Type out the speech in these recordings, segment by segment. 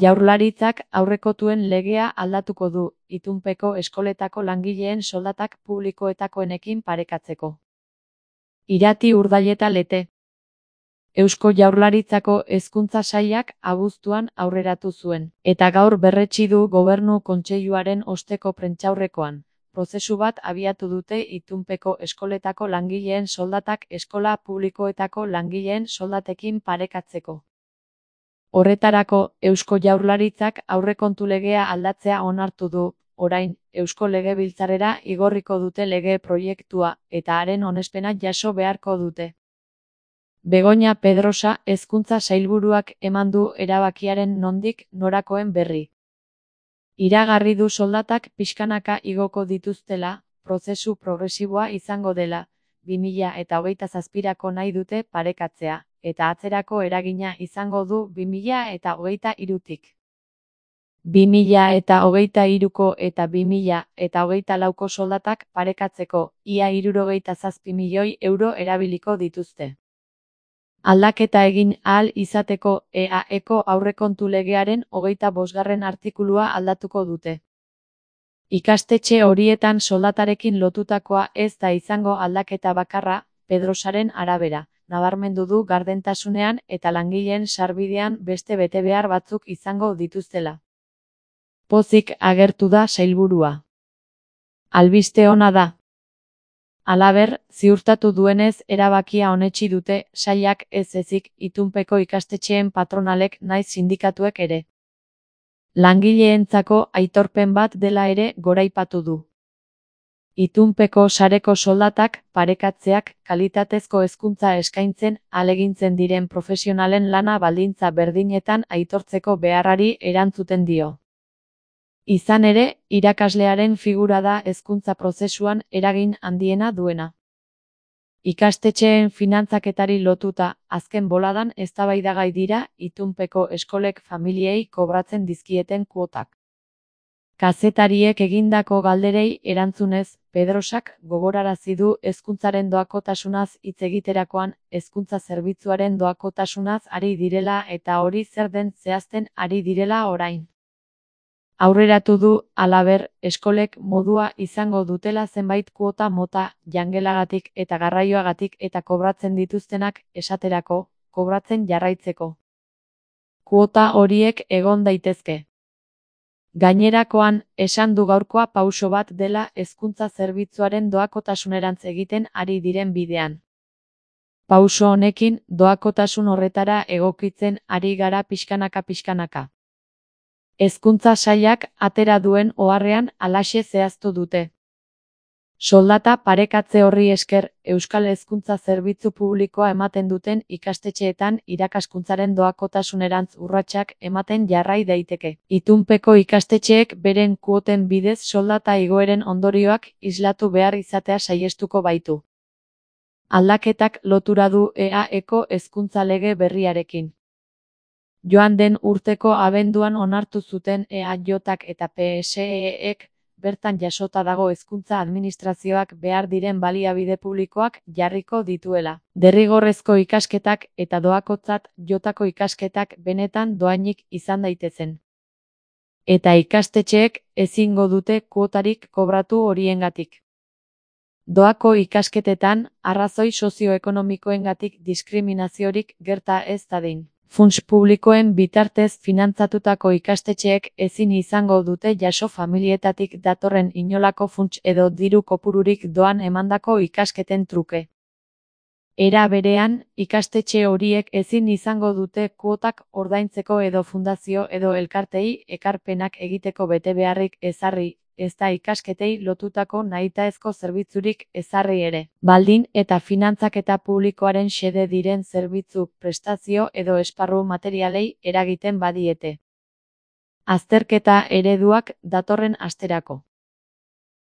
Jaurlaritzak aurrekontuen legea aldatuko du, itunpeko eskoletako langileen soldatak publikoetakoenekin parekatzeko. Irati Urdaileta Lete. Eusko Jaurlaritzako Hezkuntza Sailak abuztuan aurreratu zuen, eta gaur berretsi du Gobernu Kontseiluaren osteko prentsaurrekoan. Prozesu bat abiatu dute itunpeko eskoletako langileen soldatak eskola publikoetako langileen soldatekin parekatzeko. Horretarako, Eusko Jaurlaritzak aurrekontu legea aldatzea onartu du, orain, Eusko Legebiltzarrera igorriko dute lege proiektua, eta haren onespena jaso beharko dute. Begoña Pedrosa Hezkuntza Sailburuak eman du erabakiaren nondik norakoen berri. Iragarri du soldatak pixkanaka igoko dituztela, prozesu progresiboa izango dela, 2027 nahi dute parekatzea, eta atzerako eragina izango du 2023tik. 2023ko eta 2024ko soldatak parekatzeko, ia 67 milioi euro erabiliko dituzte. Aldaketa egin ahal izateko EAEko aurrekontu legearen 25. artikulua aldatuko dute. Ikastetxe horietan soldatarekin lotutakoa ez da izango aldaketa bakarra, Pedrosaren arabera, nabarmendu du gardentasunean eta langileen sarbidean beste betebehar batzuk izango dituztela. Pozik agertu da sailburua. Albiste ona da. Halaber, ziurtatu duenez erabakia onetsi dute sailak ez ezik itunpeko ikastetxeen patronalek nahiz sindikatuek ere. Langileentzako aitorpen bat dela ere goraipatu du. Itunpeko sareko soldatak parekatzeak kalitatezko hezkuntza eskaintzen ahalegintzen diren profesionalen lana baldintza berdinetan aitortzeko beharrari erantzuten dio. Izan ere, irakaslearen figura da hezkuntza prozesuan eragin handiena duena. Ikastetxeen finantzaketari lotuta, azken boladan eztabaidagai dira itunpeko eskolek familiei kobratzen dizkieten kuotak. Kazetariek egindako galderei erantzunez, Pedrosak gogorarazi du hezkuntzaren doakotasunaz hitz egiterakoan, hezkuntza zerbitzuaren doakotasunaz ari direla eta hori zer den zehazten ari direla orain. Aurreratu du, halaber, eskolek modua izango dutela zenbait kuota mota, jangelagatik eta garraioagatik eta kobratzen dituztenak, esaterako, kobratzen jarraitzeko. Kuota horiek egon daitezke. Gainerakoan, esan du gaurkoa pauso bat dela hezkuntza zerbitzuaren doakotasunerantz egiten ari diren bidean. Pauso honekin, doakotasun horretara egokitzen ari gara pixkanaka. Hezkuntza sailak atera duen oharrean halaxe zehaztu dute. Soldata parekatze horri esker, Euskal Hezkuntza Zerbitzu Publikoa ematen duten ikastetxeetan irakaskuntzaren doakotasunerantz urratsak ematen jarrai daiteke. Itunpeko ikastetxeek beren kuoten bidez soldata igoeren ondorioak islatu behar izatea saihestuko baitu. Aldaketak lotura du EAEko hezkuntza lege berriarekin. Joan den urteko abenduan onartu zuten EAJak eta PSEek, bertan jasota dago hezkuntza administrazioak behar diren baliabide publikoak jarriko dituela. Derrigorrezko ikasketak eta doakotzat jotako ikasketak benetan doainik izan daitezen. Eta ikastetxeek ezingo dute kuotarik kobratu horiengatik. Doako ikasketetan, arrazoi sozioekonomikoengatik diskriminaziorik gerta ez dadin. Funts publikoen bitartez finantzatutako ikastetxeek ezin izango dute jaso familietatik datorren inolako funts edo diru kopururik doan emandako ikasketen truke. Era berean, ikastetxe horiek ezin izango dute kuotak ordaintzeko edo fundazio edo elkartei ekarpenak egiteko betebeharrik ezarri, ezta ikasketei lotutako nahitaezko zerbitzurik ezarri ere. Baldin eta finantzaketa publikoaren xede diren zerbitzu, prestazio edo esparru materialei eragiten badiete. Azterketa ereduak datorren asterako.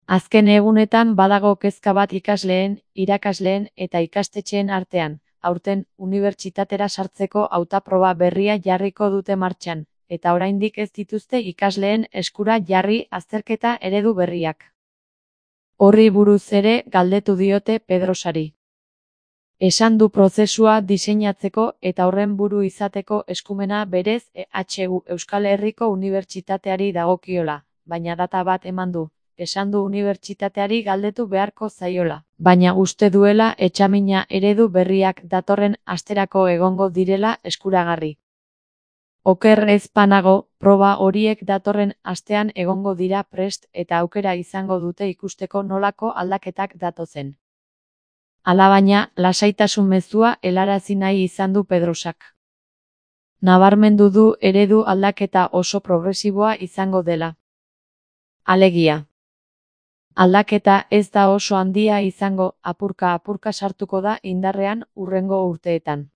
Azken egunetan badago kezka bat ikasleen, irakasleen eta ikastetxeen artean, aurten unibertsitatera sartzeko hautaproba berria jarriko dute martxan, eta oraindik ez dituzte ikasleen eskura jarri azterketa eredu berriak. Horri buruz ere galdetu diote Pedrosari. Esan du prozesua diseinatzeko eta horren buru izateko eskumena berez EHU Euskal Herriko Unibertsitateari dagokiola, baina data bat eman du. Esan du unibertsitateari galdetu beharko zaiola, baina uste duela etxamina eredu berriak datorren asterako egongo direla eskuragarri. Oker ez banago, proba horiek datorren astean egongo dira prest eta aukera izango dute ikusteko nolako aldaketak datozen. Alabaina, lasaitasun mezua helarazi nahi izan du Pedrosak. Nabarmendu du eredu aldaketa oso progresiboa izango dela. Alegia. Aldaketa ez da oso handia izango, apurka-apurka sartuko da indarrean hurrengo urteetan.